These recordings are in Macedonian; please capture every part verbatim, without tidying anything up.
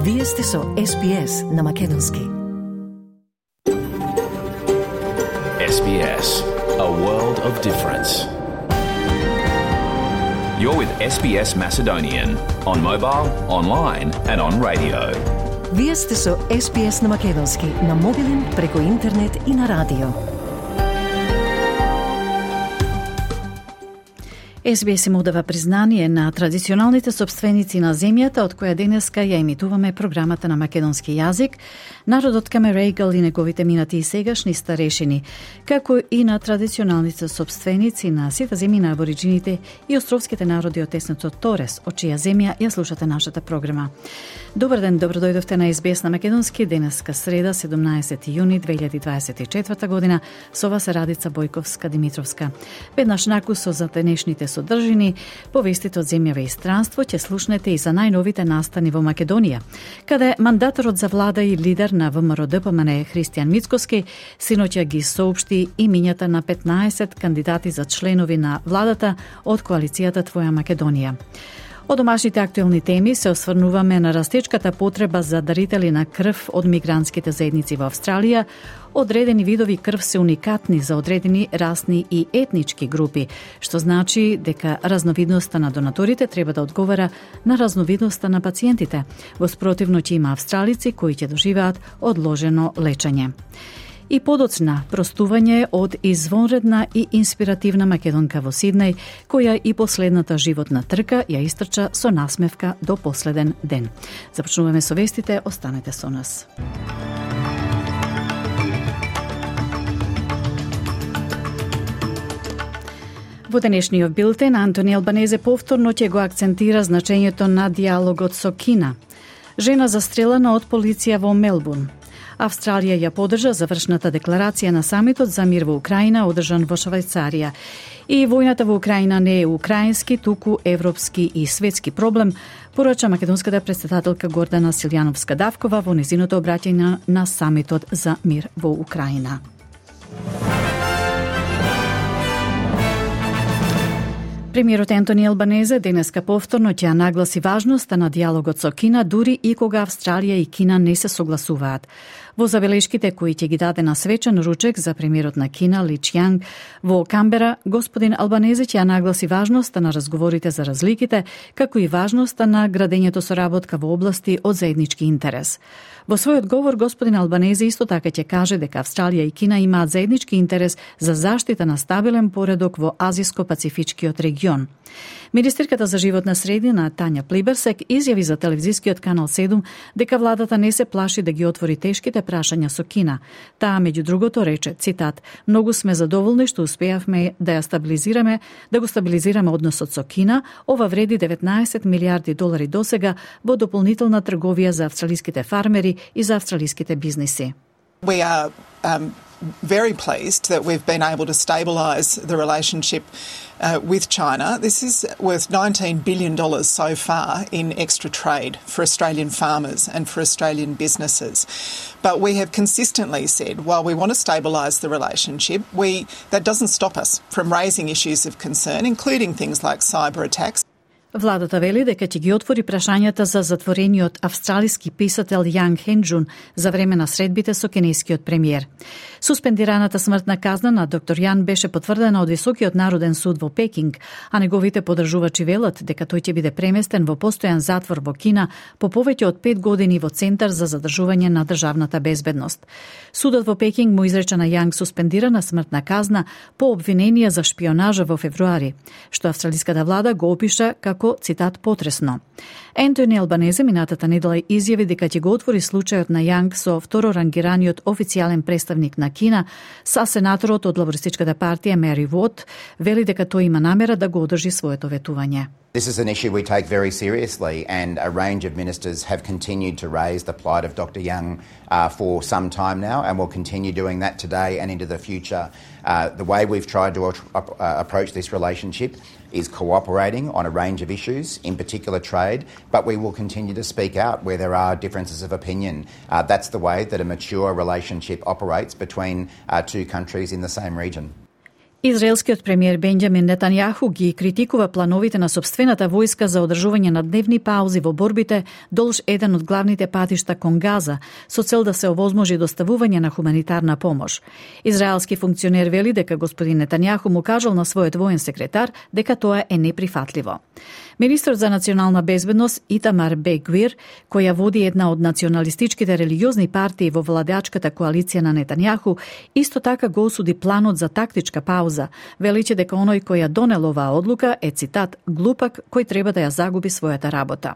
Вие сте со Ес Би Ес на Македонски. Ес Би Ес, a world of difference. You're with Ес Би Ес Macedonian on mobile, online and on radio. Вие сте со Ес Би Ес на Македонски, на мобилен, преку интернет и на радио. Ес Би Ес им одава признание на традиционалните собственици на земјата, од која денеска ја емитуваме програмата на македонски јазик, народот Камерејгал и неговите минати и сегашни старешини, како и на традиционалните собственици на сите земји на абориджините и островските народи од теснецот Торес, од чија земја ја слушате нашата програма. Добар ден, добродојдовте на Ес Би Ес на Македонски, денеска среда, седумнаесети јуни две илјади дваесет и четврта година, со вас е Радица Бојковска-Димитровска. Веднаш накусо за денешните содржини, повестите од земјава и странство ќе слушнете и за најновите настани во Македонија, каде мандаторот за влада и лидер на Вэ Ем Ар О Д П М Н Христијан Мицкоски синоќа ги соопшти имињата на петнаесет кандидати за членови на владата од коалицијата Твоја Македонија. Од домашните актуелни теми се осврнуваме на растечката потреба за дарители на крв од мигрантските заедници во Австралија. Одредени видови крв се уникатни за одредени расни и етнички групи, што значи дека разновидноста на донаторите треба да одговара на разновидноста на пациентите. Во спротивно ќе има австралици кои ќе доживеат одложено лечење. И подоцна простување од извонредна и инспиративна македонка во Сиднеј, која и последната животна трка ја истрча со насмевка до последен ден. Започнуваме со вестите, останете со нас. Во денешниот билтен, Антони Албанезе повторно ќе го акцентира значењето на диалогот со Кина. Жена застрелена од полиција во Мелбурн. Австралија ја поддржа завршната декларација на самитот за мир во Украина, одржан во Швајцарија. И војната во Украина не е украински, туку европски и светски проблем, порача македонската претседателка Гордана Силјановска-Давкова во незиното обраќање на самитот за мир во Украина. Премиерот Антони Албанезе денеска повторно ќе нагласи важноста на диалогот со Кина, дури и кога Австралија и Кина не се согласуваат. Во забелешките кои ќе ги даде на свечен ручек за премиерот на Кина Ли Чјанг во Камбера, господин Албанезе ќе нагласи важноста на разговорите за разликите, како и важноста на градењето соработка во области од заеднички интерес. Во својот говор, господин Албанезе исто така ќе каже дека Австралија и Кина имаат заеднички интерес за заштита на стабилен поредок во Азиско-Пацифичкиот регион. Министерката за животна средина Тања Плиберсек изјави за телевизискиот канал седум дека владата не се плаши да ги отвори тешките прашања со Кина. Таа меѓу другото рече, цитат: "Многу сме задоволни што успеавме да ја стабилизираме, да го стабилизираме односот со Кина. Ова вреди деветнаесет милијарди долари досега во дополнителна трговија за австралиските фармери и за австралиските бизниси." We are um, very pleased that we've been able to stabilise the relationship uh, with China. This is worth nineteen billion dollars so far in extra trade for Australian farmers and for Australian businesses. But we have consistently said, while we want to stabilise the relationship, we that doesn't stop us from raising issues of concern, including things like cyber attacks. Владата вели дека ќе ги отвори прашањата за затворениот австралиски писател Јанг Хенџун за време на средбите со кинескиот премиер. Суспендираната смртна казна на доктор Јан беше потврдена од Високиот народен суд во Пекинг, а неговите поддржувачи велат дека тој ќе биде преместен во постојан затвор во Кина по повеќе од пет години во Центар за задржување на државната безбедност. Судот во Пекинг му изрече на Јанг суспендирана смртна казна по обвинение за шпионажа во февруари, што австралиската влада го опиша како, цитат, потресно. Антони Албанезе минатата недела изјави дека ќе го отвори случајот на Јанг со второрангираниот официјален представник на Кина, са сенаторот од лабористичката партија Мери Вот вели дека тој има намера да го одржи своето ветување. This is an issue we take very seriously, and a range of ministers have continued to raise the plight of Doctor Young uh, for some time now, and will continue doing that today and into the future. Uh, the way we've tried to uh, approach this relationship is cooperating on a range of issues, in particular trade, but we will continue to speak out where there are differences of opinion. Uh, that's the way that a mature relationship operates between uh, two countries in the same region. Израелскиот премиер Бенџамин Нетањаху ги критикува плановите на сопствената војска за одржување на дневни паузи во борбите долж еден од главните патишта кон Газа, со цел да се овозможи доставување на хуманитарна помош. Израелски функционер вели дека господин Нетањаху му кажал на својот воен секретар дека тоа е неприфатливо. Министрот за национална безбедност Итамар Бен-Гвир, која води една од националистичките религиозни партии во владеачката коалиција на Нетањаху, исто така го осуди планот за тактичка пауза, величи дека оној кој ја донел оваа одлука е, цитат, глупак кој треба да ја загуби својата работа.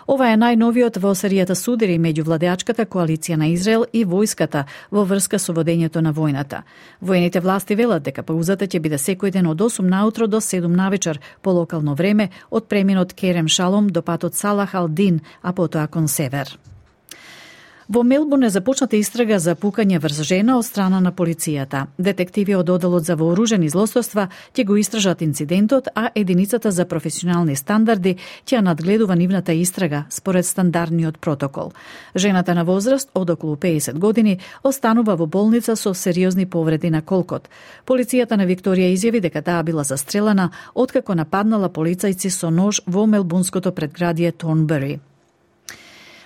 Ова е најновиот во серијата судири меѓу владеачката коалиција на Израел и војската во врска со водењето на војната. Воените власти велат дека паузата ќе биде секој ден од осум наутро до седум навечер по локално време од преминот Керем Шалом до патот Салах ал-Дин, а потоа кон север. Во Мелбурн е започната истрага за пукање врз жена од страна на полицијата. Детективи од Оделот за вооружени злосторства ќе го истражат инцидентот, а единицата за професионални стандарди ќе надгледува нивната истрага според стандардниот протокол. Жената на возраст од околу пеесет години останува во болница со сериозни повреди на колкот. Полицијата на Викторија изјави дека таа била застрелена откако нападнала полицајци со нож во мелбунското предградие Торнбери.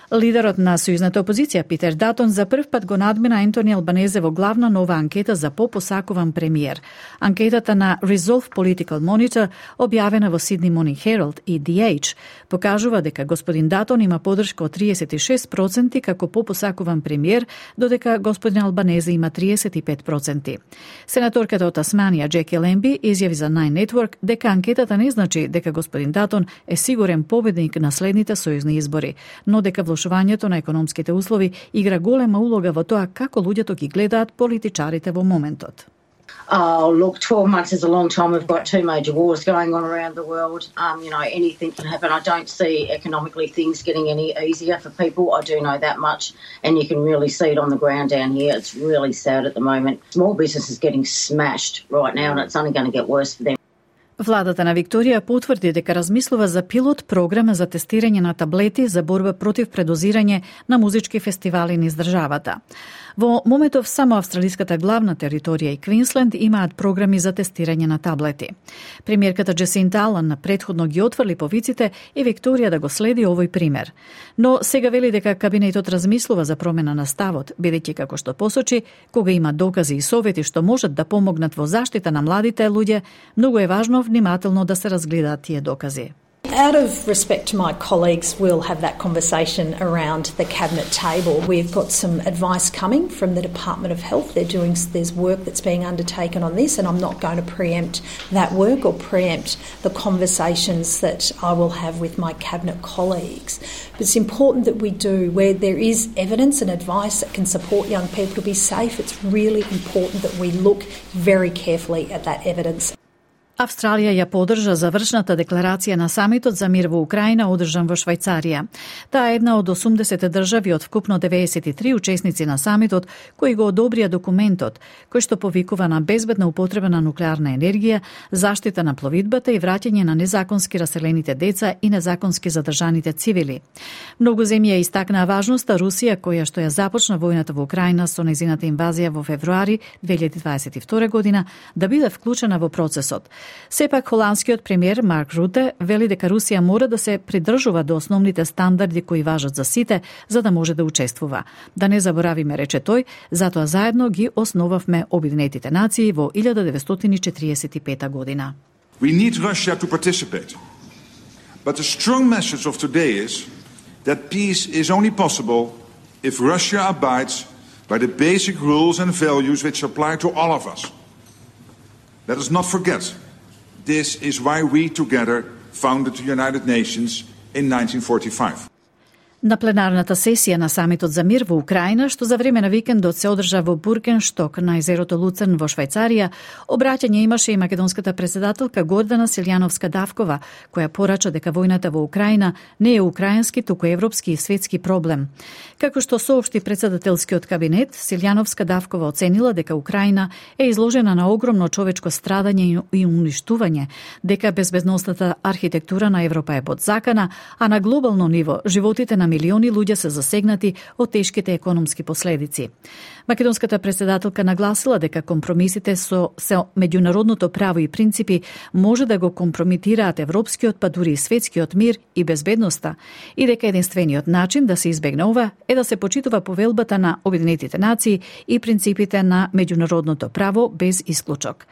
Лидерот на сојузната опозиција Питер Датон за прв пат го надмина Ентони Албанезе во главна нова анкета за попосакуван премиер. Анкетата на Resolve Political Monitor, објавена во Sydney Morning Herald и The Age, покажува дека господин Датон има поддршка од триесет и шест проценти како попосакуван премиер, додека господин Албанезе има триесет и пет проценти. Сенаторката од Тасманија Джеки Лемби изјави за Nine Network дека анкетата не значи дека господин Датон е сигурен победник на следните сојузни избори, но дека влошувањето на економските услови игра голема улога во тоа како луѓето ги гледаат политичарите во моментот. Oh, look, twelve months is a long time. We've got two major wars going on around the world. Um, you know, anything can happen. I don't see economically things getting any easier for people. I do know that much. And you can really see it on the ground down here. It's really sad at the moment. Small business is getting smashed right now, and it's only going to get worse for them. Владата на Викторија потврди дека размислува за пилот програма за тестирање на таблети за борба против предозирање на музички фестивали низ државата. Во моментов само австралиската главна територија и Квинсленд имаат програми за тестирање на таблети. Премиерката Джесинта Алан предходно ги отврли повиците и Викторија да го следи овој пример. Но сега вели дека кабинетот размислува за промена на ставот, бидејќи како што посочи, кога има докази и совети што можат да помогнат во заштита на младите луѓе, многу е важно внимателно да се разгледаат тие докази. Out of respect to my colleagues, we'll have that conversation around the cabinet table. We've got some advice coming from the Department of Health. They're doing, there's work that's being undertaken on this, and I'm not going to preempt that work or preempt the conversations that I will have with my cabinet colleagues. But it's important that we do, where there is evidence and advice that can support young people to be safe, it's really important that we look very carefully at that evidence. Австралија ја поддржа завршната декларација на самитот за мир во Украина одржан во Швајцарија. Таа е една од осумдесет држави од вкупно деветдесет и три учесници на самитот кои го одобрија документот, кој што повикува на безбедна употреба на нуклеарна енергија, заштита на пловидбата и враќање на незаконски раселените деца и незаконски задржаните цивили. Многу земји ја истакнаа важноста Русија, која што ја започна војната во Украина со нејзината инвазија во февруари две илјади дваесет и втора година, да биде вклучена во процесот. Сепак, холандскиот премиер Марк Руте вели дека Русија мора да се придржува до основните стандарди кои важат за сите, за да може да учествува. Да не заборавиме, рече тој, затоа заедно ги основавме Обединетите нации во илјада деветстотини четириесет и пета година. We need Russia to participate. But the strong message of today is that peace is only possible if Russia abides by the basic rules and values which apply to all of us. Let us not forget, this is why we together founded the United Nations in nineteen forty-five. На пленарната сесија на самитот за мир во Украина, што за време на викендот се одржа во Бургеншток на езерото Луцерн во Швајцарија, обраќање имаше и македонската председателка Гордана Силјановска-Давкова, која порача дека војната во Украина не е украински, туку европски и светски проблем. Како што соопшти председателскиот кабинет, Силјановска-Давкова оценила дека Украина е изложена на огромно човечко страдање и уништување, дека безбедносната архитектура на Европа е подзакана, а на глобално ниво животите на милиони луѓе се засегнати од тешките економски последици. Македонската претседателка нагласила дека компромисите со, со меѓународното право и принципи може да го компромитираат европскиот, па дури и светскиот мир и безбедноста, и дека единствениот начин да се избегне ова е да се почитува повелбата на Обединетите нации и принципите на меѓународното право без исклучок.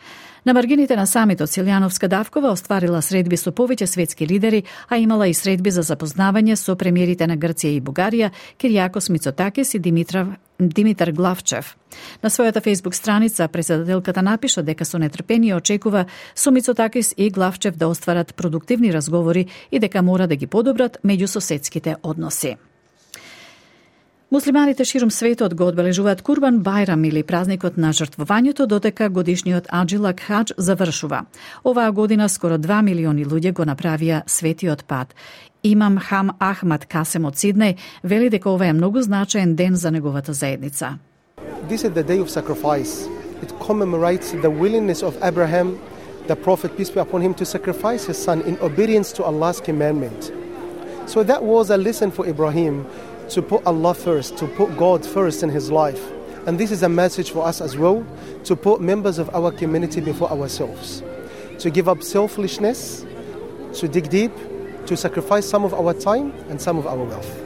На маргините на самитот Силјановска Давкова остварила средби со повеќе светски лидери, а имала и средби за запознавање со премиерите на Грција и Бугарија, Киријакос Мицотакис и Димитров, Димитар Главчев. На својата фејсбук страница претседателката напиша дека со нетрпение очекува со Мицотакис и Главчев да остварат продуктивни разговори и дека мора да ги подобрат меѓусоседските односи. Муслиманите ширум светот го одбележуваат Курбан Бајрам или празникот на жртвувањето, додека годишниот Аџилак Хадж завршува. Оваа година скоро два милиони луѓе го направија светиот пат. Имам Хам Ахмад Касем од Сиднеј вели дека ова е многу значаен ден за неговата заедница. This is the day of sacrifice. It commemorates the willingness of Abraham, the prophet, peace be upon him, to sacrifice his son in obedience to Allah's commandment. So that was a lesson for Ibrahim, to put Allah first, to put God first in his life. And this is a message for us as well, to put members of our community before ourselves, to give up selfishness, to dig deep, to sacrifice some of our time and some of our wealth.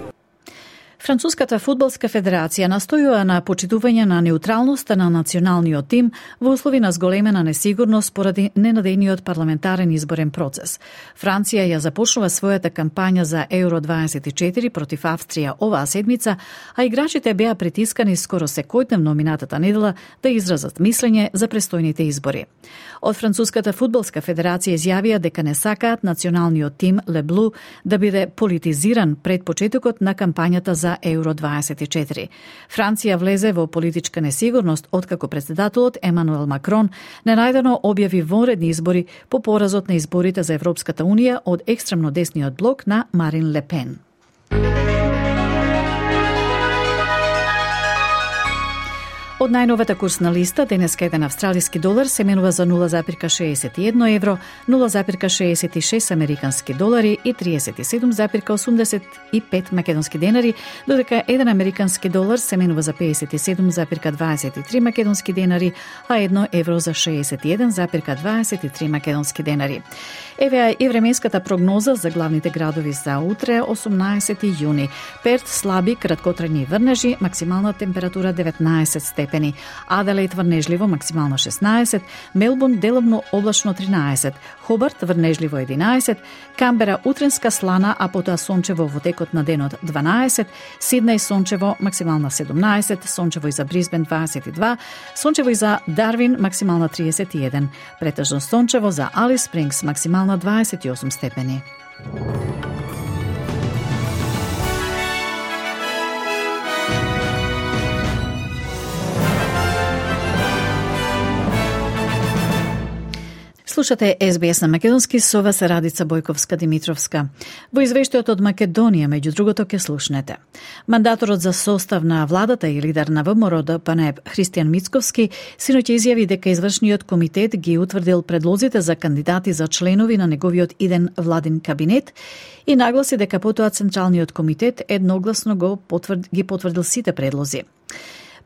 Француската фудбалска федерација настојува на почитување на неутралноста на националниот тим во услови на зголемена несигурност поради ненадејниот парламентарен изборен процес. Франција ја започнува својата кампања за Еуро дваесет и четири против Австрија оваа седмица, а играчите беа притискани скоро секојдневно минатата недела да изразат мислење за престојните избори. Од Француската фудбалска федерација изјавија дека не сакаат националниот тим Ле Блу да биде политизиран пред почетокот на кампањата за Еуро дваесет и четири. Франција влезе во политичка несигурност откако претседателот Емануел Макрон ненајдено објави вонредни избори по поразот на изборите за Европската унија од екстремно десниот блок на Марин Ле Пен. Од најновата курсна листа, денеска еден австралиски долар се менува за нула зарез шеесет и едно евро, нула зарез шеесет и шест американски долари и триесет и седум зарез осумдесет и пет македонски денари, додека еден американски долар се менува за пеесет и седум зарез дваесет и три македонски денари, а едно евро за шеесет и еден зарез дваесет и три македонски денари. Еве и временската прогноза за главните градови за утре, осумнаесети јуни. Перт слаби краткотрајни врнежи, максимална температура деветнаесет степени. Аделаид врнежливо, максимално шеснаесет. Мелбурн деловно облачно тринаесет. Хобарт врнежливо единаесет. Камбера утренска слана, а потоа сончево во текот на денот дванаесет. Сиднеј сончево, максимална седумнаесет. Сончево и за Брисбен дваесет и два. Сончево и за Дарвин, максимална триесет и еден. Претежно сончево за Алис Спрингс, максимална дваесет и осум степени. Слушате Ес Би Ес на македонски, со вас Радица Бојковска-Димитровска. Во извештајот од Македонија, меѓу другото, ке слушнете. Мандаторот за состав на владата и лидер на ВМРО Д П Н Е Христијан Мицковски синоќ изјави дека извршниот комитет ги утврдил предлозите за кандидати за членови на неговиот иден владин кабинет и нагласи дека потоа Централниот комитет едногласно го потврд, ги потврдил сите предлози.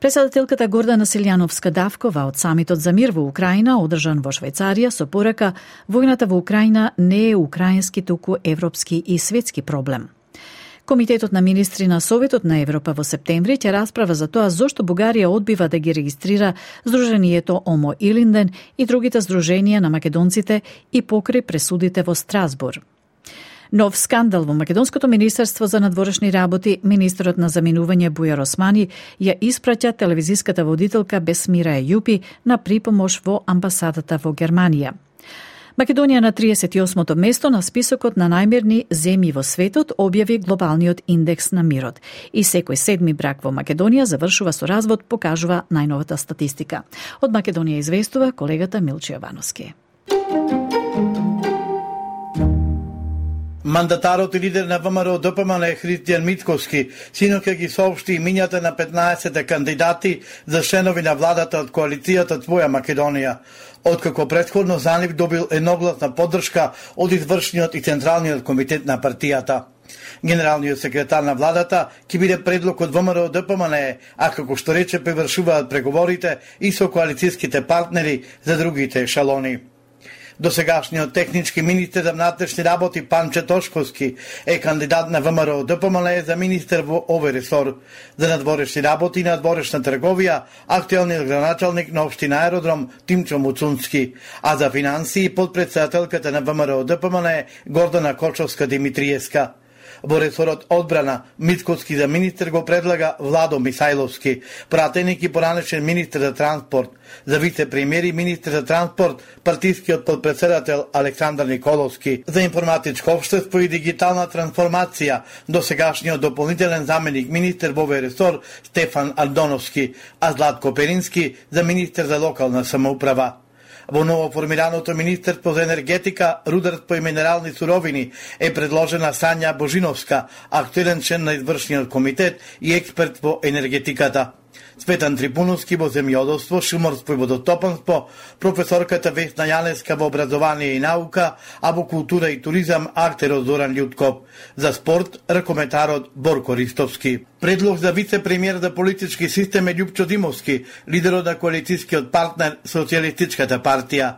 Претседателката Гордана Силјановска Давкова од самитот за мир во Украина, одржан во Швајцарија, со порака војната во Украина не е украински, туку европски и светски проблем. Комитетот на министри на Советот на Европа во септември ќе расправа за тоа зошто Бугарија одбива да ги регистрира Сдруженијето Омо Илинден и другите здруженија на македонците и покрај пресудите во Страсбур. Нов скандал во Македонското министерство за надворешни работи, министерот на заминување Бујар Османи ја испраќа телевизиската водителка Бесмира Ејупи на припомош во амбасадата во Германија. Македонија на триесет и осмото место на списокот на најмирни земји во светот објави глобалниот индекс на мирот. И секој седми брак во Македонија завршува со развод, покажува најновата статистика. Од Македонија известува колегата Милче Јовановски. Мандатарот и лидер на ВМРО Д П М Н Христијан Мицковски синоќа ги соопшти имињата на петнаесет кандидати за членови на владата од коалицијата Твоја Македонија, откако претходно за нив добил едногласна поддршка од извршниот и централниот комитет на партијата. Генералниот секретар на владата ќе биде предлог од ВМРО Д П М Н Е, а како што рече превршуваат преговорите и со коалицијските партнери за другите ешалони. Досегашниот технички министер за внатрешни работи Панче Тошковски е кандидат на ВМРО Д П М Н Е за министер во овој ресор. За надворешни работи и надворешна трговија актуелниот граначалник на општина Аеродром Тимчо Муцунски, а за финансии подпредседателката на ВМРО Д П М Н Е Гордана Кочовска-Димитриевска. Во ресорот одбрана Мицкоски за министер го предлага Владо Мисајловски, пратеник и поранешен министер за транспорт. За вице-премиер и министер за транспорт партискиот подпредседател Александар Николовски. За информатичко општество и дигитална трансформација досегашниот дополнителен заменик министер во овој ресор Стефан Ардоновски, а Златко Перински за министер за локална самоуправа. Во новоформираното Министерство за енергетика, рударство и минерални суровини е предложена Сања Божиновска, актуелен член на извршниот комитет и експерт во енергетиката. Цветан Трипуновски во земјоделство, шумарство и водотопанство, професорката Весна Јанеска во образование и наука, а во култура и туризам актерот Зоран Љутков. За спорт ракометарот Борко Ристовски. Предлог за вице-премиер за политички систем е Љупчо Димовски, лидерот на коалицијскиот партнер Социјалистичката партија.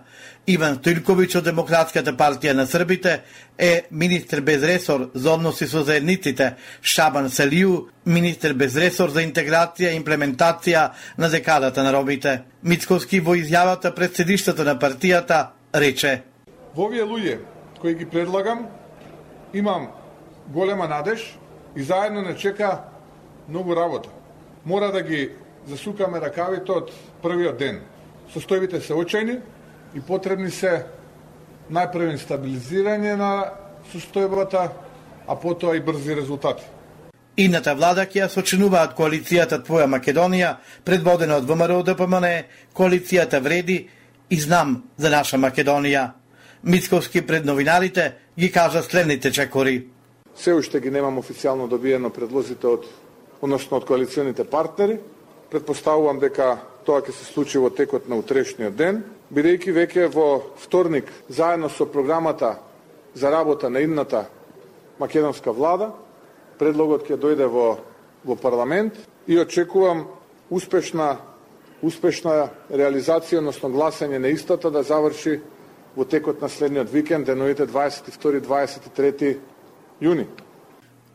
Иван Стојлковиќ од Демократската партија на Србите е министер без ресор за односи со заедниците, Шабан Селију, министер без ресор за интеграција и имплементација на декадата на ромите. Мицковски во изјавата пред седиштето на партијата рече: Во овие луѓе кои ги предлагам, имам голема надеж и заедно не чека многу работа. Мора да ги засукаме ракавите од првиот ден. Состојбите се очајни и потребни се најпрвен стабилизирање на состојбата, а потоа и брзи резултати. Идната влада ќе ја сочинуваат коалицијата Твоја Македонија, предводена од ВМРО Д П М Н Е, коалицијата Вреди и Знам за наша Македонија. Мицковски пред новинарите ги кажа следните чекори. Се уште ги немам официјално добиено предлозите од, односно од коалиционите партнери. Предпоставувам дека тоа ќе се случи во текот на утрешниот ден, бидејќи веќе во вторник, заедно со програмата за работа на идната македонска влада, предлогот ќе дојде во, во парламент и очекувам успешна, успешна реализација, односно гласање на истата да заврши во текот на следниот викенд, деновите дваесет и втори до дваесет и трети јуни.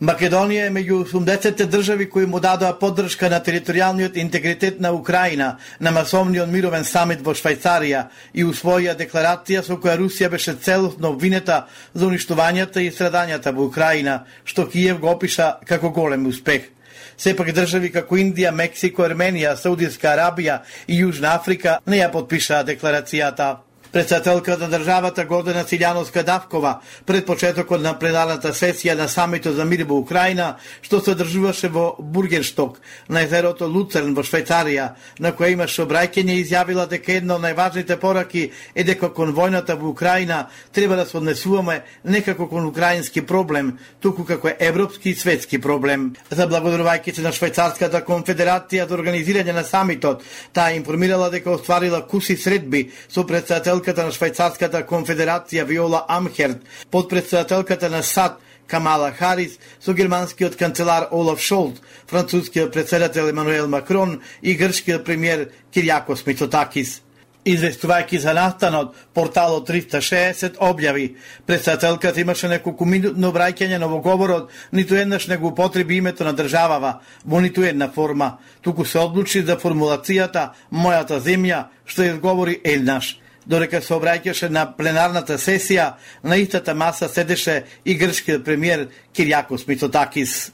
Македонија е меѓу осумдесетте држави кои му дадоа поддршка на територијалниот интегритет на Украина на масовниот мировен самит во Швајцарија и усвоија декларација со која Русија беше целосно обвинета за уништувањата и страдањата во Украина, што Киев го опиша како голем успех. Сепак држави како Индија, Мексико, Арменија, Саудиска Арабија и Јужна Африка не ја подпишаа декларацијата. Председателката на државата Гордана Силјановска-Давкова пред почетокот на пленарната сесија на самитот за мир во Украина, што се одржуваше во Бургеншток на езерото Луцерн во Швајцарија, на која имаше обраќање, изјавила дека една од најважните пораки е дека кон војната во Украина треба да се однесуваме не како кон украински проблем, туку како европски и светски проблем. Заблагодарувајќи се на Швајцарската конфедерација за организирање на самитот, таа информирала дека остварила куси средби со председател на Швајцарската конфедерација Виола Амхерт, подпредседателката на САД Камала Харис, со германскиот канцелар Олаф Шолт, францускиот председател Емануел Макрон и грчкиот премиер Киријакос Мицотакис. Известувајќи за настанот, порталот триста и шеесет објави. Председателката имаше неколку минутно обраќање, но во говорот ниту еднаш не го употреби името на државава во ниту една форма, туку се одлучи за формулацијата «Мојата земја», што изговори еднаш. Додека се обраќаше на пленарната сесија, на истата маса седеше и грчкиот премиер Киријакос Мицотакис.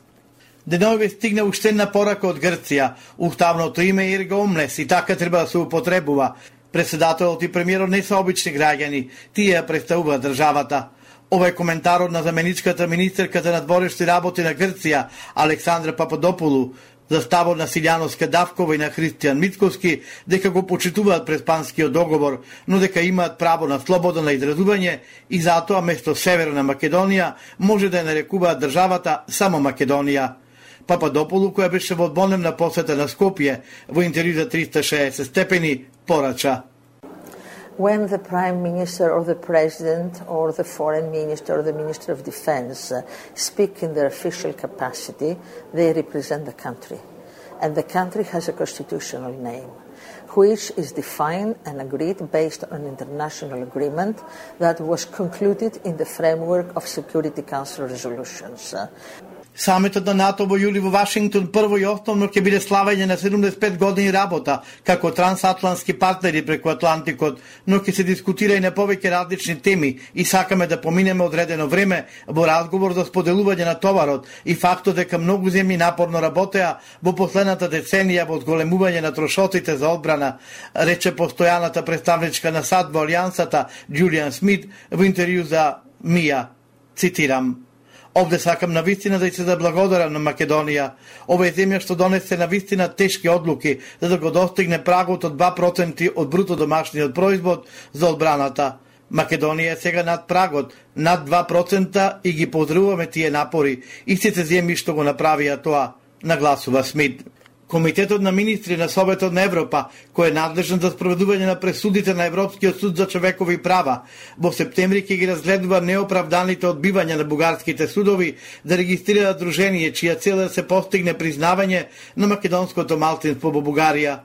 Деновиве стигна уште една порака од Грција. Уставното име е Ирга Омлес и така треба да се употребува. Председателот и премиерот не се обични граѓани, тие ја представуваат државата. Ова е коментарот на заменичката министерка за надворешни работи на Грција, Александра Пападопулу, за ставот на Силјановска-Давкова и на Христијан Мицковски, дека го почитуваат Преспанскиот договор, но дека имаат право на слобода на изразување и затоа место Северна Македонија може да ја нарекуваат државата само Македонија. Пападополу, која беше во одбонемна посета на Скопје, во интервју за триста и шеесет степени, порача. when the Prime Minister or the President or the Foreign Minister or the Minister of Defense uh, speak in their official capacity, they represent the country. And the country has a constitutional name, which is defined and agreed based on an international agreement that was concluded in the framework of Security Council resolutions. Самитот на НАТО во јули во Вашингтон прво и основно ќе биде славење на седумдесет и пет години работа како трансатлантски партнери преку Атлантикот, но ќе се дискутира и на повеќе различни теми и сакаме да поминеме одредено време во разговор за споделување на товарот и фактот дека многу земји напорно работеа во последната деценија во зголемување на трошоците за одбрана, рече постојаната представничка на САД во Алијансата Џулијан Смит во интервју за Мија. Цитирам: "Овде сакам на вистина да се заблагодарам на Македонија. Ова е земја што донесе на вистина тешки одлуки за да го достигне прагот од два проценти од бруто домашниот производ за одбраната. Македонија е сега над прагот, над два процента и ги поздравуваме тие напори. Истите земји што го направија тоа", нагласува Смит. Комитетот на министри на Советот на Европа, кој е надлежен за спроведување на пресудите на Европскиот суд за човекови права, во септември ќе ги разгледува неоправданите одбивања на бугарските судови да регистрира дружение чија цел е да се постигне признавање на македонското малцинство во Бугарија.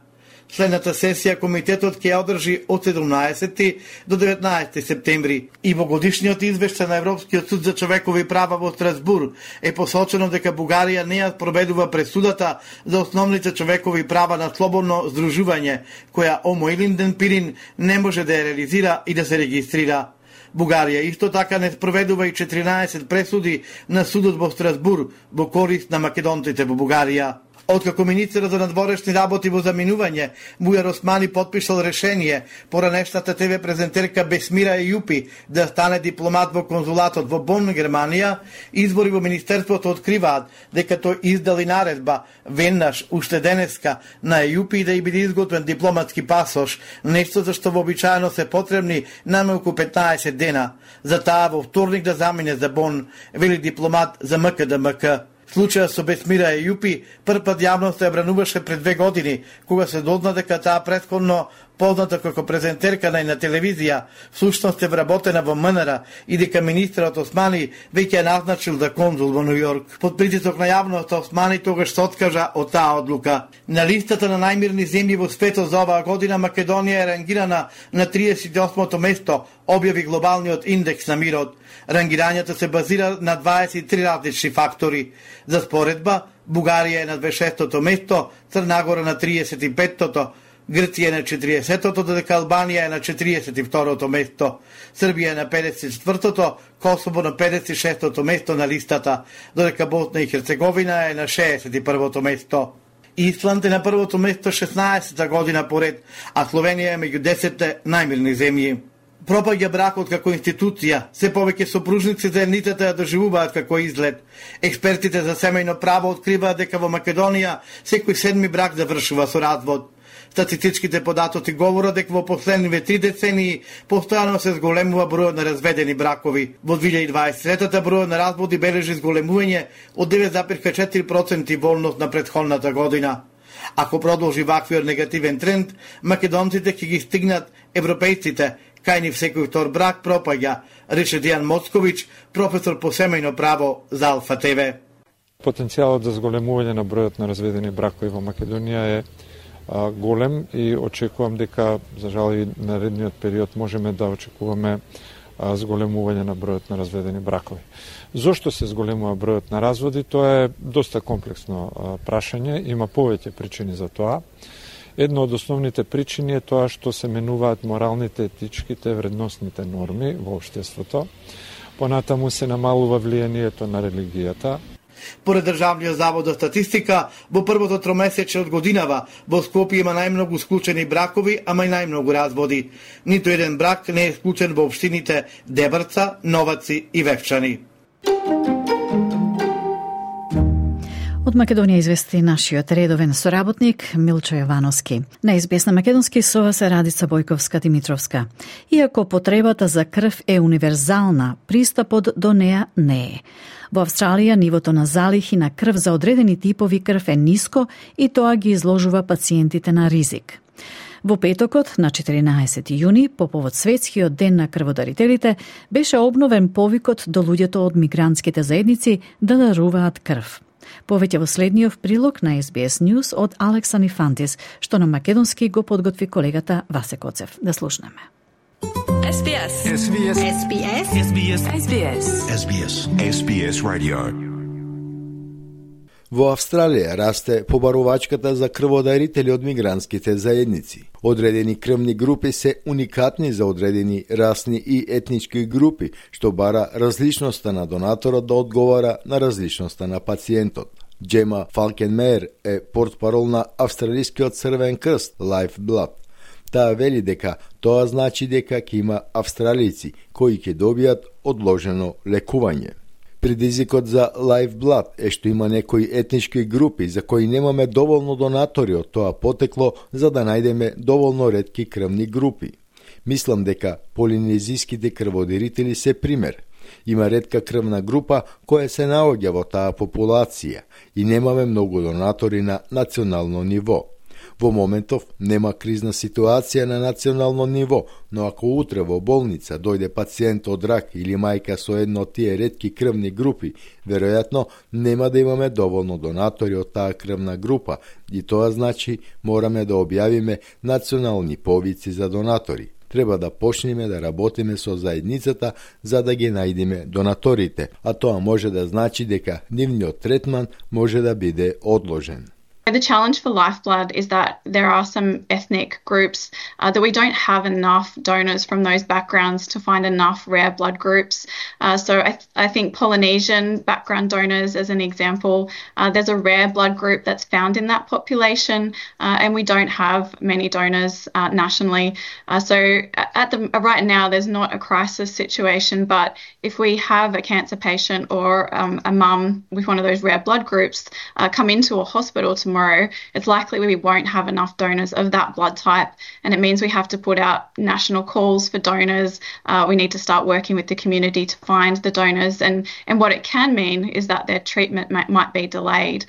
Следната сесија комитетот ќе ја одржи од седумнаесети до деветнаесети септември и во годишниот извештај на Европскиот суд за човекови права во Страсбур е посочено дека Бугарија не ја спроведува пресудата за основните човекови права на слободно здружување, која Омо Илинден Пирин не може да ја реализира и да се регистрира. Бугарија исто така не спроведува и четиринаесет пресуди на судот во Страсбур во корист на македонците во Бугарија. Откако министерот за надворешни работи во заминување, Бујар Османи потпишал решение поранешната ТВ презентерка Бесмира Ејупи да стане дипломат во конзулатот во Бон, Германија, избори во министерството откриваат дека тој издали наредба веднаш уште денеска на Ејупи да ја биде изготвен дипломатски пасош, нешто за што вообичаено се потребни најмалку петнаесет дена. За таа во вторник да замине за Бон, вели дипломат за М К Д М К. Случајот со Бесмира Ејупи првпат јавно се обрануваше пред две години, кога се дозна дека таа претходно позната како презентерка на на телевизија, всушност е вработена во М Н Р и дека министерот Османи веќе ја назначил за конзул во Нью Йорк. Под притисок на јавноста Османи тогаш се откажа од таа одлука. На листата на најмирни земји во светот за оваа година Македонија е рангирана на триесет и осмо место, објави глобалниот индекс на мирот. Рангирањето се базира на дваесет и три различни фактори. За споредба, Бугарија е на дваесет и шестото место, Црна Гора на триесет и петтото, Грција е на четириесетото, додека Албанија е на четириесет и второто место, Србија е на педесет и четвртото, Косово на педесет и шестото место на листата, додека Босна и Херцеговина е на шеесет и првото место. Исланд е на првото место шеснаесета година поред, а Словенија е меѓу десетте најмирни земји. Пропаѓа бракот како институција, се повеќе сопружници заедницата ја доживуваат како изглед. Експертите за семејно право откриваат дека во Македонија секој седми брак завршува со развод. Статистичките податоци говорат дека во последниве три децении постојано се зголемува бројот на разведени бракови. Во две илјади дваесет и трета бројот на разводи бележи зголемување од девет зарез четири проценти во однос на претходната година. Ако продолжи ваквиот негативен тренд, македонците ќе ги стигнат европејците, кај ни секој втор брак пропаѓа, рече Дијан Моцковиќ, професор по семејно право за Алфа Т В. Потенцијалот за зголемување на бројот на разведени бракови во Македонија е а, голем и очекувам дека, за жал и наредниот период, можеме да очекуваме а, зголемување на бројот на разведени бракови. Зошто се зголемува бројот на разводи? Тоа е доста комплексно а, прашање, има повеќе причини за тоа. Една од основните причини е тоа што се менуваат моралните, етичките, вредносните норми во општеството. Понатаму се намалува влијанието на религијата. Поред Државниот завод за статистика, во првото тромесече од годинава во Скопје има најмногу склучени бракови, ама и најмногу разводи. Ниту еден брак не е склучен во општините Дебрца, Новаци и Вевчани. Од Македонија извести нашиот редовен соработник Милчо Јовановски. На Ес Би Ес на македонски со вас е Радица Бојковска-Димитровска. Иако потребата за крв е универзална, пристапот до неа не е. Во Австралија нивото на залихи на крв за одредени типови крв е ниско и тоа ги изложува пациентите на ризик. Во петокот, на четиринаесети јуни, по повод Светскиот ден на крводарителите, беше обновен повикот до луѓето од мигрантските заедници да даруваат крв. Повеќе во следниот прилог на Ес Би Ес News од Алекса Нифантис, што на македонски го подготви колегата Васе Коцев. Да слушнеме. Ес Би Ес. Ес Би Ес. Ес Би Ес. Ес Би Ес. Ес Би Ес. Ес Би Ес. Ес Би Ес Radio. Во Австралија расте побарувачката за крводарители од мигрантските заедници. Одредени крвни групи се уникатни за одредени расни и етнички групи, што бара различноста на донаторот да одговара на различноста на пациентот. Джема Фалкенмеер е портпарол на Австралискиот црвен крст Lifeblood. Таа вели дека тоа значи дека ќе има австралици кои ќе добијат одложено лекување. Предизвикот за Lifeblood е што има некои етнички групи за кои немаме доволно донатори од тоа потекло за да најдеме доволно ретки крвни групи. Мислам дека полинезиските крводарители се пример. Има ретка крвна група која се наоѓа во таа популација и немаме многу донатори на национално ниво. Во моментов нема кризна ситуација на национално ниво, но ако утре во болница дојде пациент од рак или мајка со едно од тие ретки крвни групи, веројатно нема да имаме доволно донатори од таа крвна група и тоа значи мораме да објавиме национални повици за донатори. Треба да почнеме да работиме со заедницата за да ги најдеме донаторите, а тоа може да значи дека нивниот третман може да биде одложен. The challenge for Lifeblood is that there are some ethnic groups uh, that we don't have enough donors from those backgrounds to find enough rare blood groups. Uh, so I, th- I think Polynesian background donors, as an example, uh, there's a rare blood group that's found in that population, uh, and we don't have many donors uh, nationally. Uh, so at the right now, there's not a crisis situation, but if we have a cancer patient or um, a mum with one of those rare blood groups uh, come into a hospital tomorrow, Tomorrow, it's likely we won't have enough donors of that blood type, and it means we have to put out national calls for donors. Uh, we need to start working with the community to find the donors, and, and what it can mean is that their treatment might, might be delayed.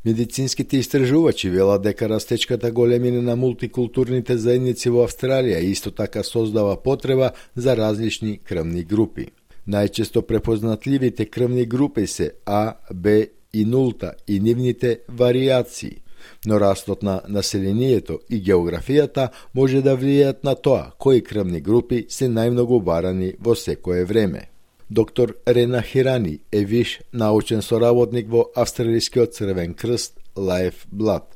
Медицинските истражувачи велат дека растечката големина на мултикултурните заедници во Австралија исто така создава потреба за различни крвни групи. Најчесто препознатливите крвни групи се А, Б и нулта и нивните варијации, но растот на населението и географијата може да влијаат на тоа кои крвни групи се најмногу барани во секое време. Доктор Рена Хирани е виш научен соработник во Австралискиот црвен крст Lifeblood.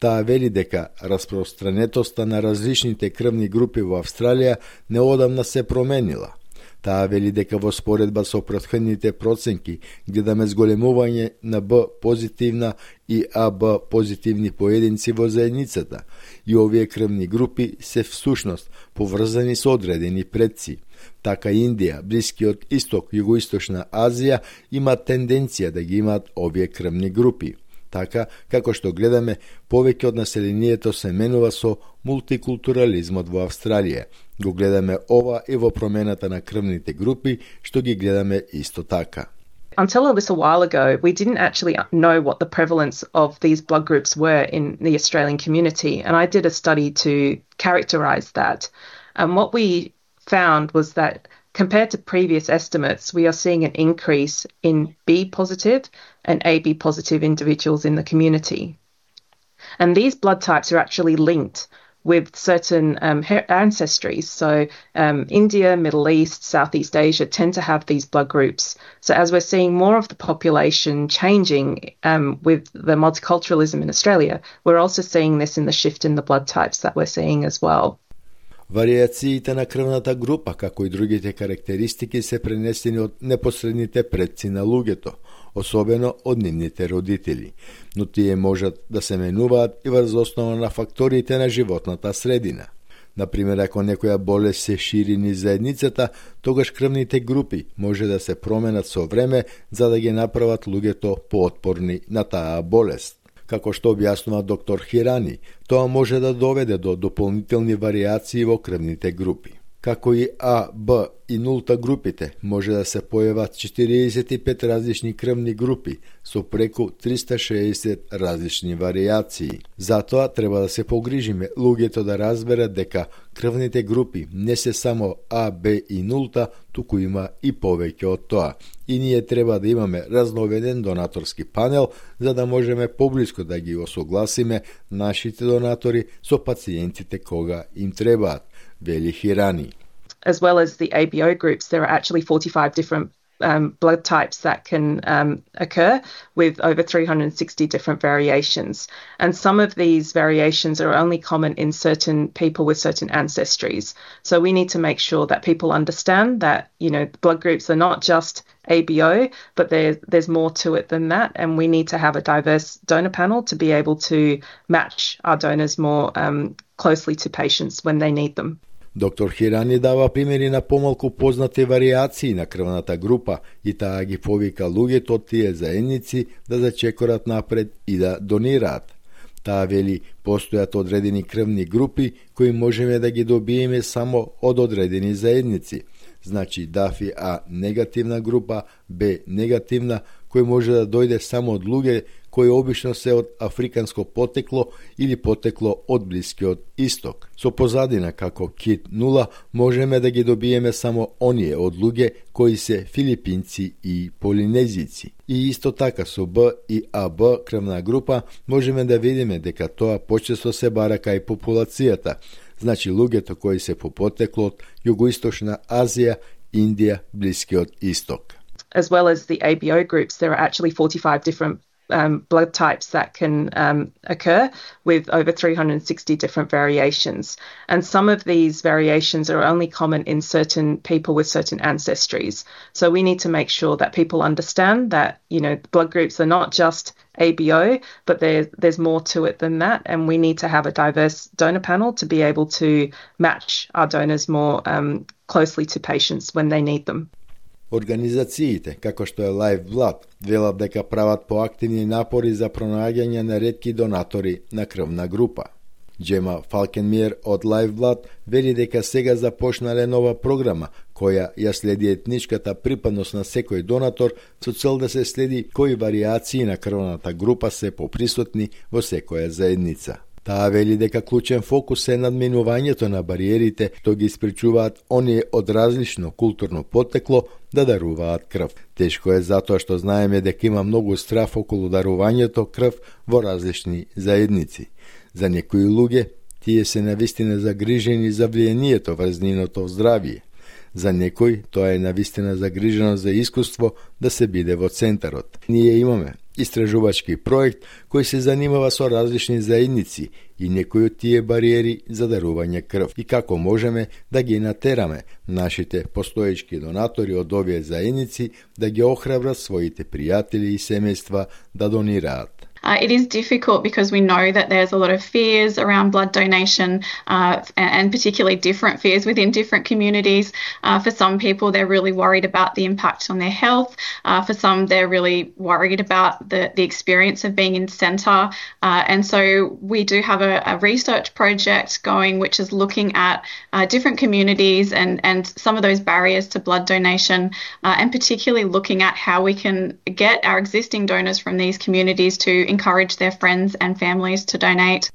Таа вели дека распространетоста на различните крвни групи во Австралија неодамна се променила. Таа вели дека во споредба со претходните проценки гледаме зголемување на Б позитивна и А Б позитивни поединци во заедницата и овие крвни групи се всушност поврзани со одредени предци. Така Индија, Блискиот Исток, Југоисточна Азија имаат тенденција да ги имаат овие крвни групи. Така, како што гледаме, повеќе од населението се менува со мултикултурализмот во Австралија. Го гледаме ова и во промената на крвните групи, што ги гледаме исто така. Until a little while ago, we didn't actually know what the prevalence of these blood groups were in the Australian community, and I did a study to characterise that. And what we found was that compared to previous estimates, we are seeing an increase in B positive and A B positive individuals in the community. And these blood types are actually linked with certain um, ancestries. So um, India, Middle East, Southeast Asia tend to have these blood groups. So as we're seeing more of the population changing um, with the multiculturalism in Australia, we're also seeing this in the shift in the blood types that we're seeing as well. Варијациите на крвната група, како и другите карактеристики, се пренесени од непосредните предци на луѓето, особено од нивните родители, но тие можат да се менуваат и врз основа на факторите на животната средина. Например, ако некоја болест се шири низ заедницата, тогаш крвните групи може да се променат со време за да ги направат луѓето поотпорни на таа болест. Како што објаснува доктор Хирани, тоа може да доведе до дополнителни варијации во крвните групи. Како и А, Б и нулта групите, може да се појават четириесет и пет различни крвни групи со преку триста шеесет различни варијации. Затоа треба да се погрижиме луѓето да разберат дека крвните групи не се само А, Б и нулта, туку има и повеќе од тоа. И ние треба да имаме разноведен донаторски панел за да можеме поблиско да ги осогласиме нашите донатори со пациентите кога им требаат, вели Хирани. As well as the A B O groups, there are actually forty-five different um, blood types that can um, occur with over three hundred sixty different variations. And some of these variations are only common in certain people with certain ancestries. So we need to make sure that people understand that, you know, blood groups are not just A B O, but there, there's more to it than that. And we need to have a diverse donor panel to be able to match our donors more um, closely to patients when they need them. Доктор Хирани дава примери на помалку познати варијации на крвната група и таа ги повика луѓето од тие заедници да зачекорат напред и да донираат. Таа вели постојат одредени крвни групи кои можеме да ги добиеме само од одредени заедници. Значи дафи А негативна група, Б негативна, кој може да дојде само од луѓе кои обично се од африканско потекло или потекло од Блискиот Исток. Со позадина како кит нула можеме да ги добиеме само оние од луѓе кои се филипинци и полинезици. И исто така со Б и А Б крвна група можеме да видиме дека тоа почесто се бара кај популацијата, значи луѓето кои се по потекло од Југоисточна Азија, Индија, Блискиот Исток. As well as the A B O groups, there are actually forty-five different um, blood types that can um, occur with over three hundred sixty different variations. And some of these variations are only common in certain people with certain ancestries. So we need to make sure that people understand that, you know, blood groups are not just A B O, but there, there's more to it than that. And we need to have a diverse donor panel to be able to match our donors more um, closely to patients when they need them. Организациите, како што е Lifeblood, велат дека прават поактивни напори за пронаѓање на ретки донатори на крвна група. Джема Фалкенмиер од Lifeblood вели дека сега започнале нова програма која ја следи етничката припадност на секој донатор со цел да се следи кои варијации на крвната група се поприсутни во секоја заедница. Таа вели дека клучен фокус е надминувањето на бариерите што ги испречуваат оние од различно културно потекло да даруваат крв. Тешко е затоа што знаеме дека има многу страф околу дарувањето крв во различни заедници. За некои луѓе тие се навистина загрижени за влијанието врз нивното здравје. За некој тоа е навистина загрижено за искуство да се биде во центарот. Ние имаме истражувачки проект кој се занимава со различни заедници и некои од тие бариери за дарување крв и како можеме да ги натераме нашите постоечки донатори од овие заедници да ги охрабрат своите пријатели и семејства да донираат. Uh, it is difficult because we know that there's a lot of fears around blood donation uh, and, and particularly different fears within different communities. Uh, for some people, they're really worried about the impact on their health. Uh, for some, they're really worried about the, the experience of being in centre. Uh, and so we do have a, a research project going which is looking at uh, different communities and, and some of those barriers to blood donation uh, and particularly looking at how we can get our existing donors from these communities to encourage their friends and families to donate.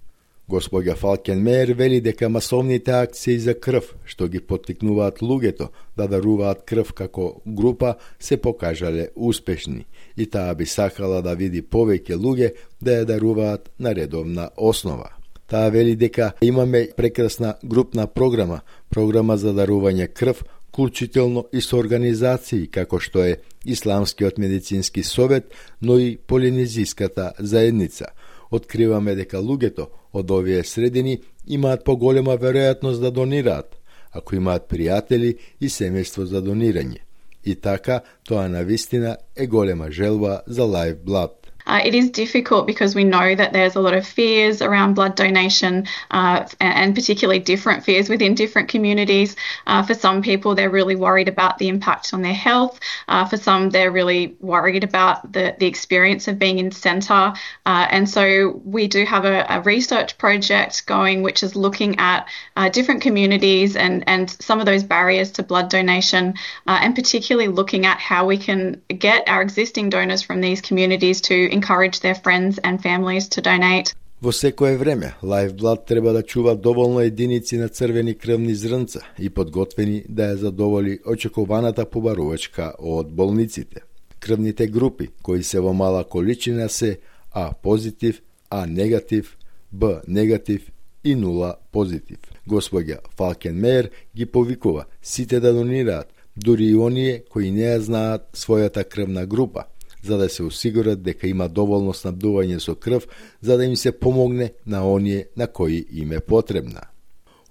Господја Фалкенмеер вели дека масовните акции за крв, што ги поттикнуваат луѓето да даруваат крв како група, се покажале успешни и таа би сакала да види повеќе луѓе да ја даруваат на редовна основа. Таа вели дека имаме прекрасна групна програма, програма за дарување крв, вклучително и со организации како што е Исламскиот медицински совет, но и Полинезиската заедница. Откриваме дека луѓето од овие средини имаат поголема веројатност да донираат, ако имаат пријатели и семејство за донирање. И така, тоа навистина е голема желба за Lifeblood. Uh, it is difficult because we know that there's a lot of fears around blood donation uh, and, and particularly different fears within different communities. Uh, for some people, they're really worried about the impact on their health. Uh, for some, they're really worried about the, the experience of being in centre. Uh, and so we do have a, a research project going which is looking at uh, different communities and, and some of those barriers to blood donation uh, and particularly looking at how we can get our existing donors from these communities to encourage their friends and families to donate. Во секое време, Lifeblood треба да чува доволно единици на црвени крвни зрнца и подготвени да ја задоволи очекуваната побарувачка од болниците. Крвните групи кои се во мала количина се А позитив, А негатив, Б негатив и нула позитив. Господја Фалкенмеер ги повикува сите да донираат, дури и оние кои не ја знаат својата крвна група, за да се осигурат дека има доволно снабдување со крв, за да им се помогне на оние на кои им е потребна.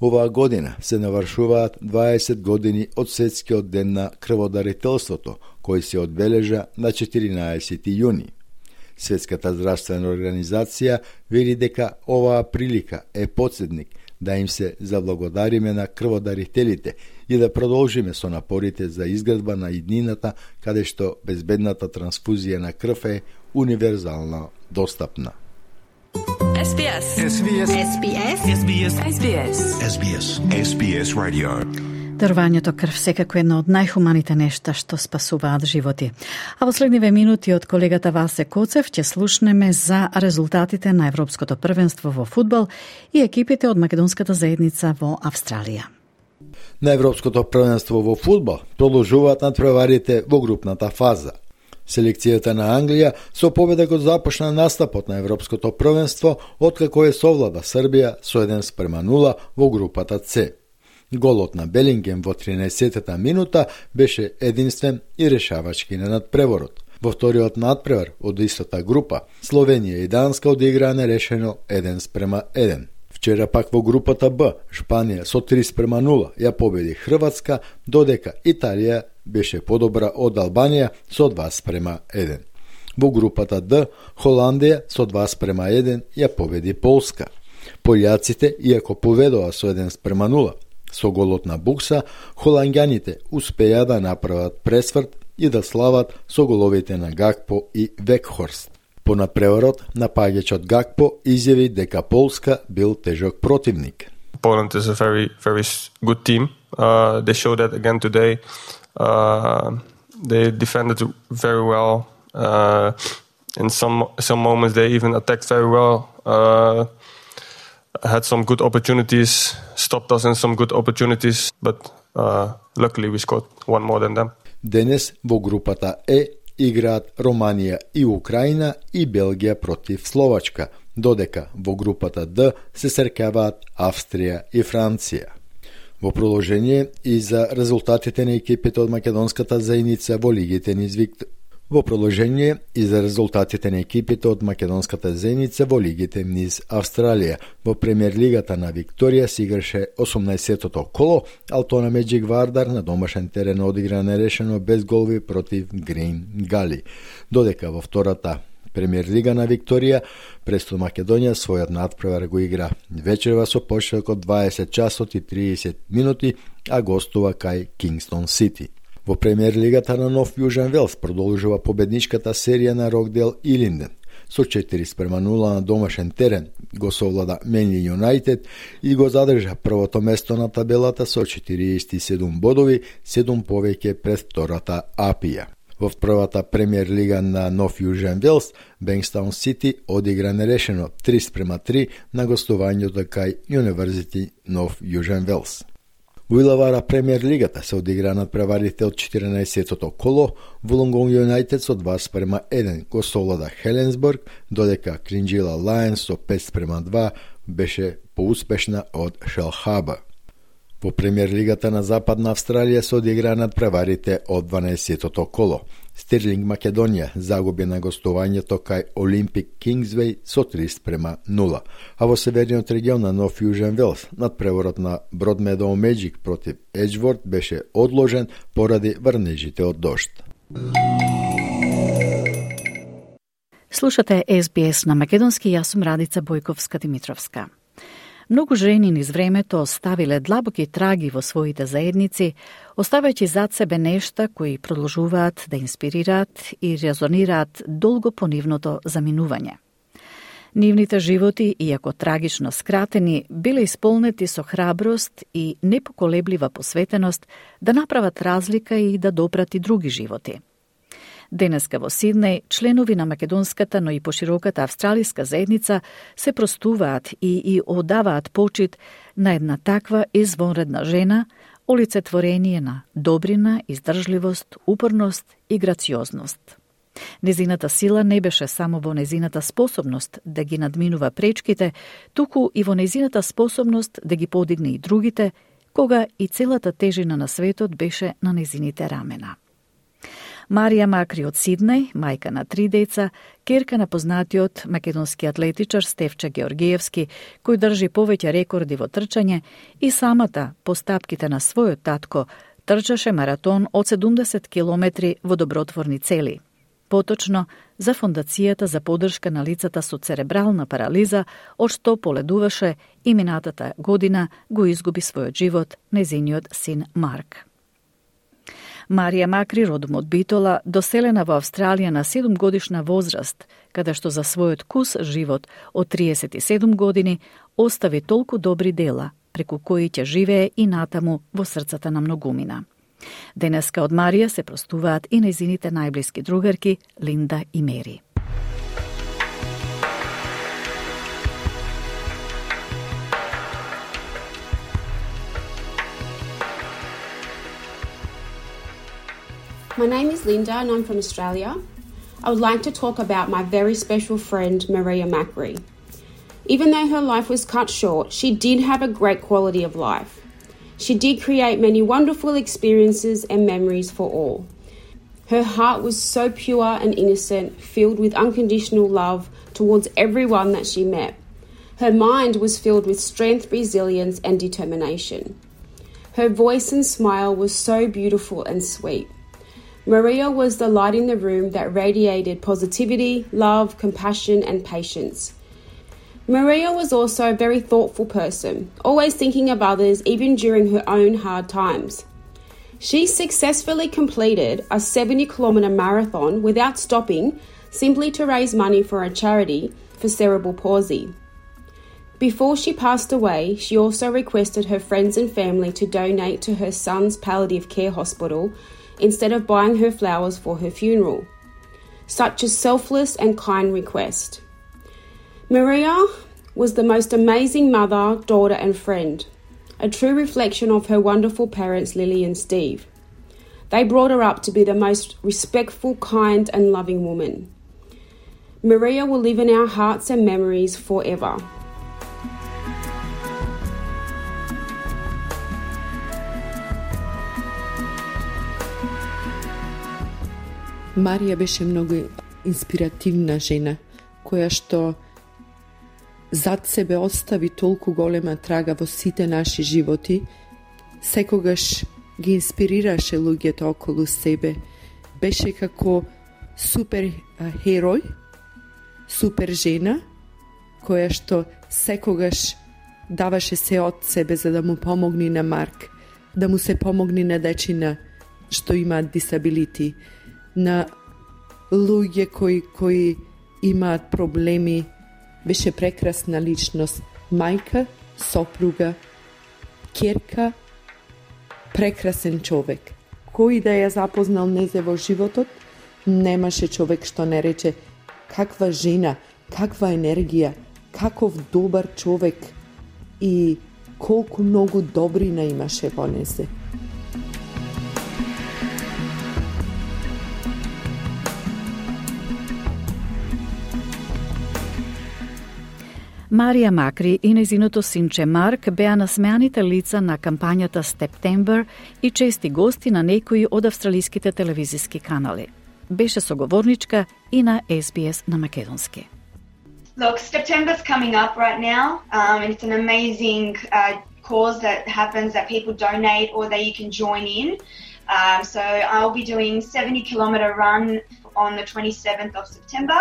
Оваа година се навршуваат дваесет години од Светскиот ден на крводарителството, кој се одбележа на четиринаесети јуни. Светската здравствена организација вели дека оваа прилика е потсетник да им се заблагодариме на крводарителите и да продолжиме со напорите за изградба на иднината каде што безбедната трансфузија на крв е универзално достапна. S B S. S B S. S B S. S B S. S B S. S B S. S B S Radio. Дарувањето крв секако едно од најхуманите нешта што спасуваат животи. А во следниве минути од колегата Васе Коцев ќе слушнеме за резултатите на Европското првенство во фудбал и екипите од македонската заедница во Австралија. На Европското првенство во фудбал продолжуваат надпреварите во групната фаза. Селекцијата на Англија со победа го започна настапот на Европското првенство откако е совлада Србија со еден спрема нула во групата С. Голот на Белингем во тринаесеттата минута беше единствен и решавачки на надпреворот. Во вториот надпревар од истата група, Словенија и Данска одиграа нерешено еден спрема еден. Вчера пак во групата Б, Шпанија со три спрема нула ја победи Хрватска, додека Италија беше подобра од Албанија со два спрема еден. Во групата Д, Холандија со два спрема еден ја победи Полска. Полјаците, иако поведоа со еден спрема нула, со голот на Букса, холанѓаните успеа да направат пресврт и да слават со головите на Гакпо и Векхорст. По надпреварот, напаѓачот Гакпо изјави дека Полска бил тежок противник. Poland is a very, very good team. Uh, they showed that again today. Uh, they defended very well. Uh, in some some moments, they even attacked very well. Uh, had some good opportunities, stopped us in some good opportunities, but uh, luckily we scored one more than them. Денес во групата Е играат Романија и Украина и Белгија против Словачка, додека во групата Д се срекаваат Австрија и Франција. Во продолжение и за резултатите на екипите од македонската заедница во лигите низ Виктор Во продолжение и за резултатите на екипите од македонската заедница во лигите низ Австралија. Во премиер лигата на Викторија се играше осумнаесеттото коло, Алтона Меджик Вардар на домашен терен одигра нерешено без голови против Грин Гали. Додека во втората премиер лига на Викторија, Престон Македонија својот надпревар го игра вечерва со почеток од дваесет часот и триесет минути, а гостува кај Кингстон Сити. Во премиер лигата на Нов Јужен Велс продолжува победничката серија на Рокдел и Линден. Со четири спрема нула на домашен терен го совлада Менли Юнайтед и го задржа првото место на табелата со четириесет и седум бодови, седум повеќе пред втората Апија. Во првата премиер лига на Нов Јужен Велс, Бенкстаун Сити одигра нерешено три спрема три на гостувањето кај Юниверзити Нов Јужен Велс. Во Илавара премиер лигата се одигра надпреварите од четиринаесеттото коло, Вулонгонг Юнайтед со два спрема еден го совлада Хеленсбург, додека Кринџила Лајнс со пет спрема два беше поуспешна од Шелхаба. Во премиер лигата на Западна Австралија се одигра надпреварите од дванаесеттото коло. Стирлинг Македонија загуби на гостувањето кај Олимпик Кингсвеј со три спрема нула, а во северниот регион на Нов Јужен Велс надпреворот на Бродмедоу Меджик против Еџворд беше одложен поради врнежите од дожд. Слушате Ес Би Ес на македонски, јас сум Радица Бојковска-Димитровска. Многу жени низ времето оставиле длабоки траги во своите заедници, оставајќи зад себе нешта кои продолжуваат да инспирираат и резонираат долго по нивното заминување. Нивните животи, иако трагично скратени, биле исполнети со храброст и непоколеблива посветеност да направат разлика и да допрати други животи. Денеска во Сиднеј, членови на македонската, но и пошироката австралиска заедница се простуваат и и одаваат почит на една таква извонредна жена, олицетворение на добрина, издржливост, упорност и грациозност. Незината сила не беше само во незината способност да ги надминува пречките, туку и во незината способност да ги подигне и другите, кога и целата тежина на светот беше на незините рамена. Марија Макри од Сиднеј, мајка на три деца, керка на познатиот македонски атлетичар Стефче Георгиевски, кој држи повеќе рекорди во трчање, и самата по стапките на својот татко трчаше маратон од седумдесет километри во добротворни цели. Поточно за Фондацијата за поддршка на лицата со церебрална парализа, од што поледуваше и минатата година го изгуби својот живот незиниот син Марк. Марија Макри, родом од Битола, доселена во Австралија на седумгодишна возраст, каде што за својот кус живот од триесет и седум години остави толку добри дела, преку кои ќе живее и натаму во срцата на многумина. Денеска од Марија се простуваат и незините најблиски другарки Линда и Мери. My name is Linda and I'm from Australia. I would like to talk about my very special friend Marija Makri. Even though her life was cut short, she did have a great quality of life. She did create many wonderful experiences and memories for all. Her heart was so pure and innocent, filled with unconditional love towards everyone that she met. Her mind was filled with strength, resilience and determination. Her voice and smile was so beautiful and sweet. Marija was the light in the room that radiated positivity, love, compassion and patience. Marija was also a very thoughtful person, always thinking of others even during her own hard times. She successfully completed a seventy kilometre marathon without stopping, simply to raise money for a charity for cerebral palsy. Before she passed away, she also requested her friends and family to donate to her son's palliative care hospital instead of buying her flowers for her funeral. Such a selfless and kind request. Marija was the most amazing mother, daughter and friend, a true reflection of her wonderful parents Lily and Steve. They brought her up to be the most respectful, kind and loving woman. Marija will live in our hearts and memories forever. Марија беше многу инспиративна жена, која што зад себе остави толку голема трага во сите наши животи, секогаш ги инспирираше луѓето околу себе. Беше како супер херој, супер жена, која што секогаш даваше се од себе за да му помогне на Марк, да му се помогне на дечина што имаат дисабилити, на луѓе кои, кои имаат проблеми. Беше прекрасна личност, мајка, сопруга, ќерка, прекрасен човек. Кој да ја запознал незе во животот, немаше човек што не рече каква жена, каква енергија, каков добар човек и колку многу добрина имаше во незе. Марија Макри и незиното синче Марк беа насмеаните лица на кампањата September и чести гости на некои од австралиските телевизиски канали. Беше соговорничка и на Ес Би Ес на македонски. Look, September's coming up right now, um, and it's an amazing uh, cause that happens that people donate or that you can join in. Um, so I'll be doing seventy kilometre run on the twenty-seventh of September.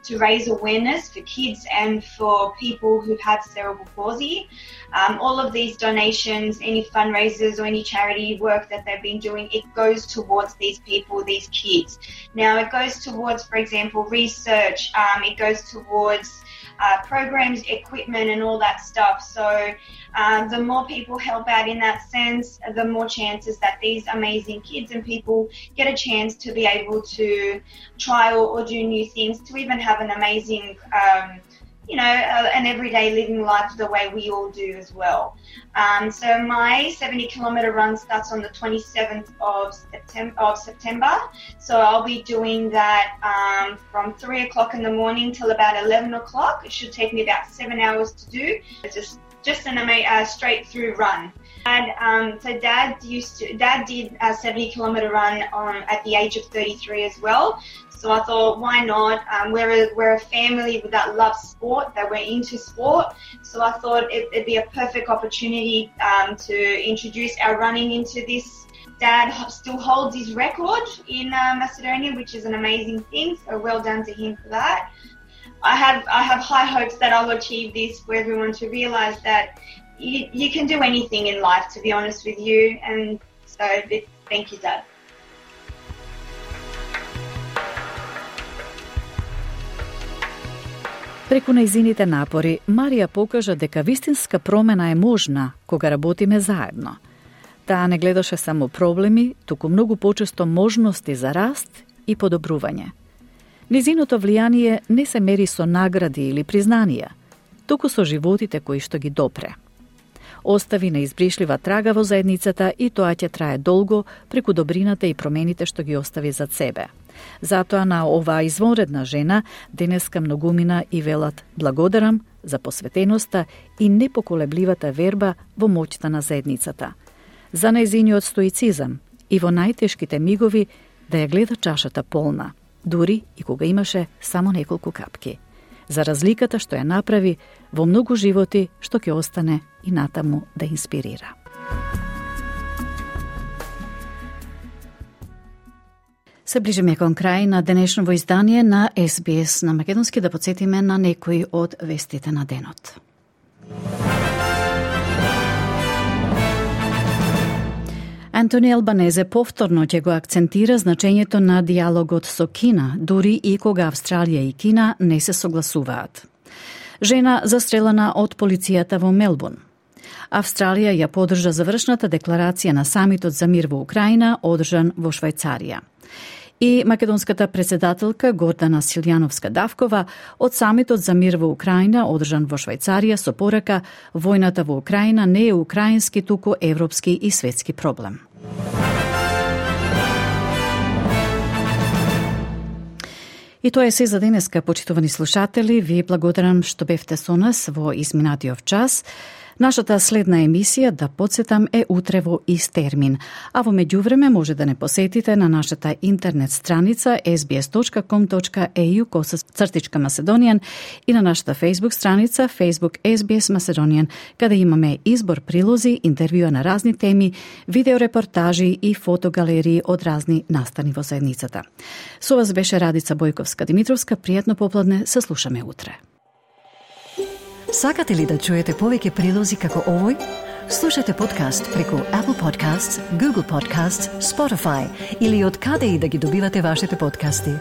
to raise awareness for kids and for people who've had cerebral palsy. Um, all of these donations, any fundraisers or any charity work that they've been doing, it goes towards these people, these kids. Now, it goes towards, for example, research. Um, it goes towards uh, programs, equipment, and all that stuff. So um, the more people help out in that sense, the more chances that these amazing kids and people get a chance to be able to try or, or do new things, to even have an amazing um, you know, uh, an everyday living life the way we all do as well. Um, so my seventy kilometre run starts on the twenty-seventh of September, of September. So I'll be doing that um, from three o'clock in the morning till about eleven o'clock. It should take me about seven hours to do. It's just just an amazing uh, straight through run. And um, so Dad used to, Dad did a seventy kilometre run um, at the age of thirty-three as well. So I thought, why not? Um, we're, a, we're a family that loves sport, that we're into sport. So I thought it, it'd be a perfect opportunity um, to introduce our running into this. Dad still holds his record in uh, Macedonia, which is an amazing thing. So well done to him for that. I have I have high hopes that I'll achieve this for everyone to realise that you, you can do anything in life, to be honest with you. And so thank you, Dad. Преку нејзините напори, Марија покажа дека вистинска промена е можна кога работиме заедно. Таа не гледаше само проблеми, туку многу почесто можности за раст и подобрување. Низиното влијание не се мери со награди или признанија, туку со животите кои што ги допре. Остави неизбришлива трага во заедницата и тоа ќе трае долго преку добрината и промените што ги остави зад себе. Затоа на оваа извонредна жена денеска многумина и велат благодарам за посветеноста и непоколебливата верба во моќта на заедницата, за нејзиниот стоицизам и во најтешките мигови да ја гледа чашата полна, дури и кога имаше само неколку капки, за разликата што ја направи во многу животи што ќе остане и натаму да инспирира. Се ближиме кон крај на денешното издание на Ес Би Ес на македонски, да подсетиме на некои од вестите на денот. Антони Албанезе повторно ќе го акцентира значењето на диалогот со Кина, дури и кога Австралија и Кина не се согласуваат. Жена застрелана од полицијата во Мелбурн. Австралија ја поддржа завршната декларација на самитот за мир во Украина, одржан во Швајцарија. И македонската председателка Гордана Силјановска-Давкова од самитот за мир во Украина, одржан во Швајцарија, со порака војната во Украина не е украински, туку европски и светски проблем. И тоа е се за денеска, почитувани слушатели. Ви благодарам што бевте со нас во изминатиот час. Нашата следна емисија, да подсетам, е утре во ист термин, а во меѓувреме може да не посетите на нашата интернет страница ес би ес точка ком точка е ю цртичка Macedonian и на нашата Facebook страница Facebook Ес Би Ес Macedonian, каде имаме избор прилози, интервјуа на разни теми, видеорепортажи и фотогалерии од разни настани во заедницата. Со вас беше Радица Бојковска-Димитровска. Пријатно попладне, се слушаме утре. Сакате ли да чуете повеќе прилози како овој? Слушате подкаст преку Apple Podcasts, Google Podcasts, Spotify или од каде и да ги добивате вашите подкасти.